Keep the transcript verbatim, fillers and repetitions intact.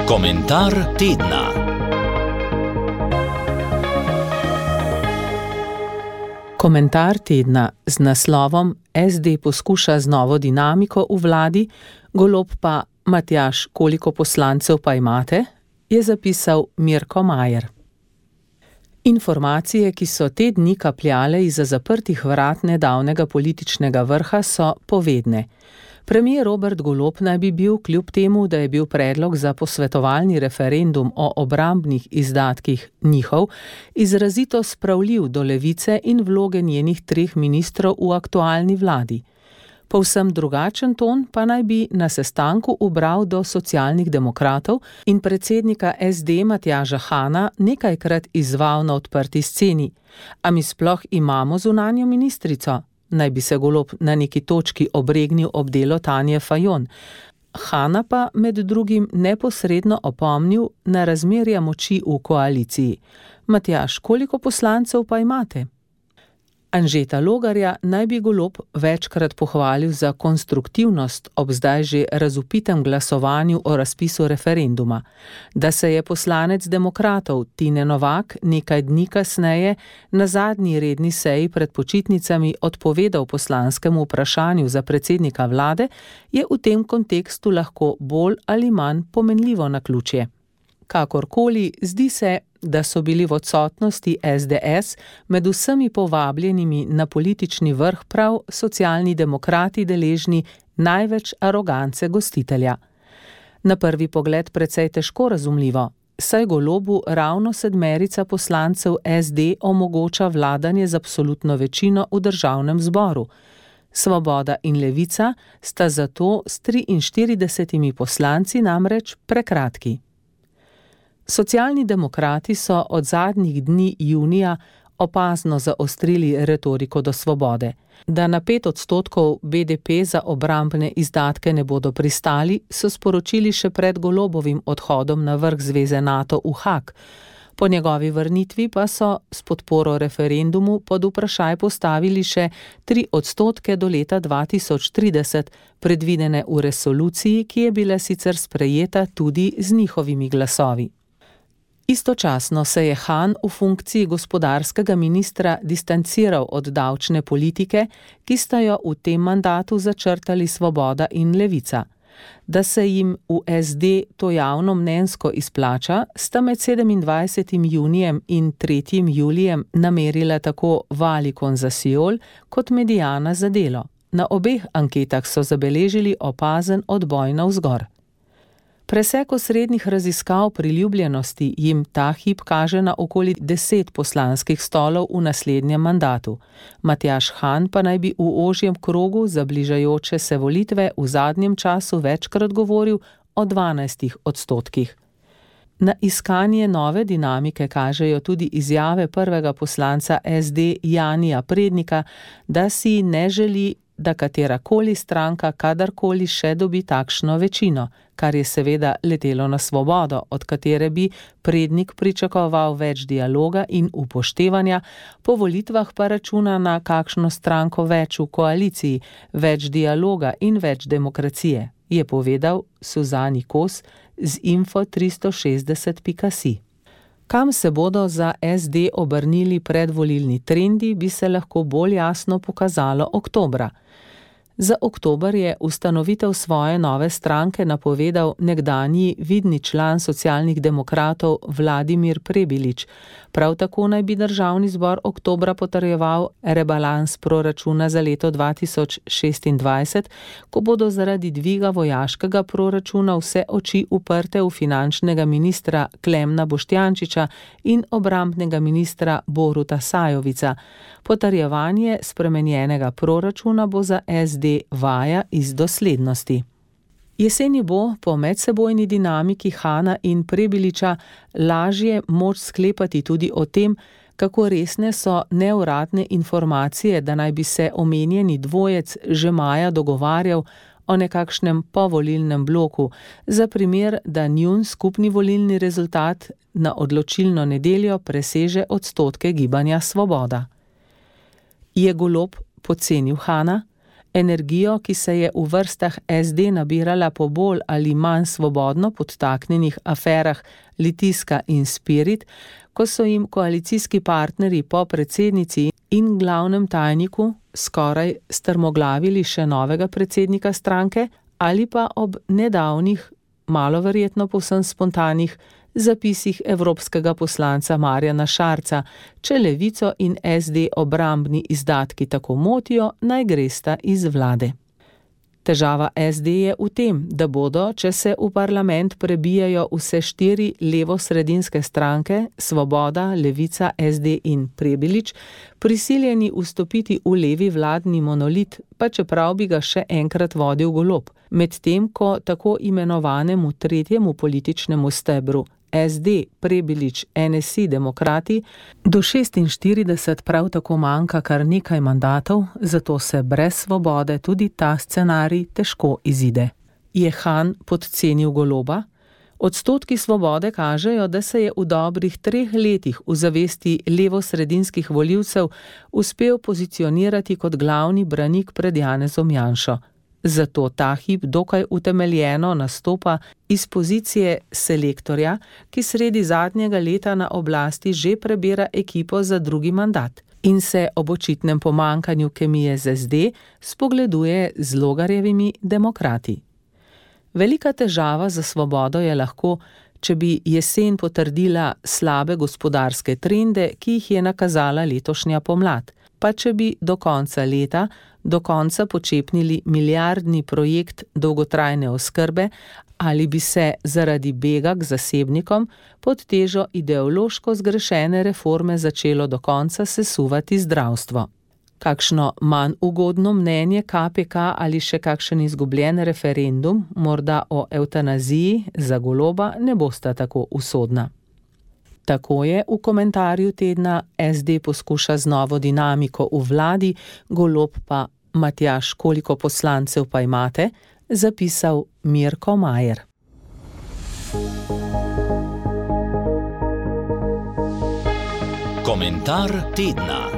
Komentar tedna. Komentar tedna z naslovom S D poskuša z novo dinamiko v vladi, Golob pa Matjaž, koliko poslancev pa imate, je zapisal Mirko Majer. Informacije, ki so te dni kapljale izza zaprtih vrat nedavnega političnega vrha, so povedne. Premier Robert Golob naj bi bil, kljub temu, da je bil predlog za posvetovalni referendum o obrambnih izdatkih njihov, izrazito spravljiv do Levice in vloge njenih treh ministrov v aktualni vladi. Povsem drugačen ton pa naj bi na sestanku ubral do Socialnih demokratov in predsednika S D Matjaža Hana nekajkrat izzval na odprti sceni. A mi sploh imamo zunanjo ministrico? Naj bi se Golob na neki točki obregnil ob delo Tanje Fajon. Hana pa med drugim neposredno opomnil na razmerja moči v koaliciji. Matjaž, koliko poslancev pa imate? Anžeta Logarja naj bi Golob večkrat pohvalil za konstruktivnost ob zdaj že razupitem glasovanju o razpisu referenduma. Da se je poslanec demokratov Tine Novak nekaj dni kasneje na zadnji redni seji pred počitnicami odpovedal poslanskemu vprašanju za predsednika vlade, je v tem kontekstu lahko bolj ali manj pomenljivo naključje. Kakorkoli, zdi se, da so bili v odsotnosti S D S med vsemi povabljenimi na politični vrh prav Socialni demokrati deležni največ arogance gostitelja. Na prvi pogled precej težko razumljivo, saj Golobu ravno sedmerica poslancev S D omogoča vladanje z absolutno večino v državnem zboru. Svoboda in Levica sta zato s triinštiridesetimi poslanci namreč prekratki. Socialni demokrati so od zadnjih dni junija opazno zaostrili retoriko do svobode. Da na pet odstotkov B D P za obrambne izdatke ne bodo pristali, so sporočili še pred Golobovim odhodom na vrh zveze NATO v Haag. Po njegovi vrnitvi pa so s podporo referendumu pod vprašaj postavili še tri odstotke do leta dva tisoč trideset, predvidene v resoluciji, ki je bila sicer sprejeta tudi z njihovimi glasovi. Istočasno se je Han v funkciji gospodarskega ministra distanciral od davčne politike, ki sta jo v tem mandatu začrtali Svoboda in Levica. Da se jim v S D to javno mnenjsko izplača, sta med sedemindvajsetim junijem in tretjim julijem namerila tako Valicon za Siol kot Mediana za Delo. Na obeh anketah so zabeležili opazen odboj navzgor. Presek osrednjih raziskav priljubljenosti jim ta hip kaže na okoli deset poslanskih stolov v naslednjem mandatu. Matjaž Han pa naj bi v ožjem krogu za bližajoče se volitve v zadnjem času večkrat govoril o dvanajstih odstotkih. Na iskanje nove dinamike kažejo tudi izjave prvega poslanca S D Janija Prednika, da si ne želi, da katerakoli stranka kadarkoli še dobi takšno večino, kar je seveda letelo na Svobodo, od katere bi Prednik pričakoval več dialoga in upoštevanja, po volitvah pa računa na kakšno stranko več v koaliciji, več dialoga in več demokracije, je povedal Suzani Kos z info tristo šestdeset pika si. Kam se bodo za S D obrnili predvolilni trendi, bi se lahko bolj jasno pokazalo oktobra. Za oktober je ustanovitev svoje nove stranke napovedal nekdanji vidni član Socialnih demokratov Vladimir Prebilič. Prav tako naj bi državni zbor oktobra potrjeval rebalans proračuna za leto dva tisoč šestindvajset, ko bodo zaradi dviga vojaškega proračuna vse oči uprte v finančnega ministra Klemna Boštjančiča in obrambnega ministra Boruta Sajovica. Potrjevanje spremenjenega proračuna bo za S D vaja iz doslednosti. Jeseni bo po medsebojni dinamiki Hana in Prebiliča lažje moč sklepati tudi o tem, kako resne so neuradne informacije, da naj bi se omenjeni dvojec že maja dogovarjal o nekakšnem povolilnem bloku, za primer, da njun skupni volilni rezultat na odločilno nedeljo preseže odstotke gibanja Svoboda. Je Golob podcenil Hana? Energijo, ki se je v vrstah S D nabirala po bolj ali manj svobodno podtaknjenih aferah Litijska in Spirit, ko so jim koalicijski partnerji po predsednici in glavnem tajniku skoraj strmoglavili še novega predsednika stranke, ali pa ob nedavnih, malo verjetno povsem spontanih, zapisih evropskega poslanca Marjana Šarca, če Levico in S D obrambni izdatki tako motijo, naj gresta iz vlade. Težava S D je v tem, da bodo, če se v parlament prebijajo vse štiri levo-sredinske stranke, Svoboda, Levica, S D in Prebilič, prisiljeni vstopiti v levi vladni monolit, pa čeprav bi ga še enkrat vodil Golob, medtem ko tako imenovanemu tretjemu političnemu stebru S D, Prebilič, N S I, Demokrati, do šestinštirideset prav tako manjka kar nekaj mandatov, zato se brez Svobode tudi ta scenarij težko izide. Je Han podcenil Goloba? Odstotki Svobode kažejo, da se je v dobrih treh letih v zavesti levo-sredinskih volivcev uspel pozicionirati kot glavni branik pred Janezom Janšo. Zato ta hip dokaj utemeljeno nastopa iz pozicije selektorja, ki sredi zadnjega leta na oblasti že prebira ekipo za drugi mandat in se ob očitnem pomanjkanju kemije z S D spogleduje z Logarjevimi Demokrati. Velika težava za Svobodo je lahko, če bi jesen potrdila slabe gospodarske trende, ki jih je nakazala letošnja pomlad, pa če bi do konca leta do konca počepnili milijardni projekt dolgotrajne oskrbe ali bi se zaradi bega k zasebnikom pod težo ideološko zgrešene reforme začelo do konca sesuvati zdravstvo. Kakšno manj ugodno mnenje K P K ali še kakšen izgubljen referendum, morda o evtanaziji, za Goloba ne bosta tako usodna. Tako je v komentarju tedna S D poskuša z novo dinamiko v vladi, Golob pa Matjaž, koliko poslancev pa imate, zapisal Mirko Majer. Komentar tedna.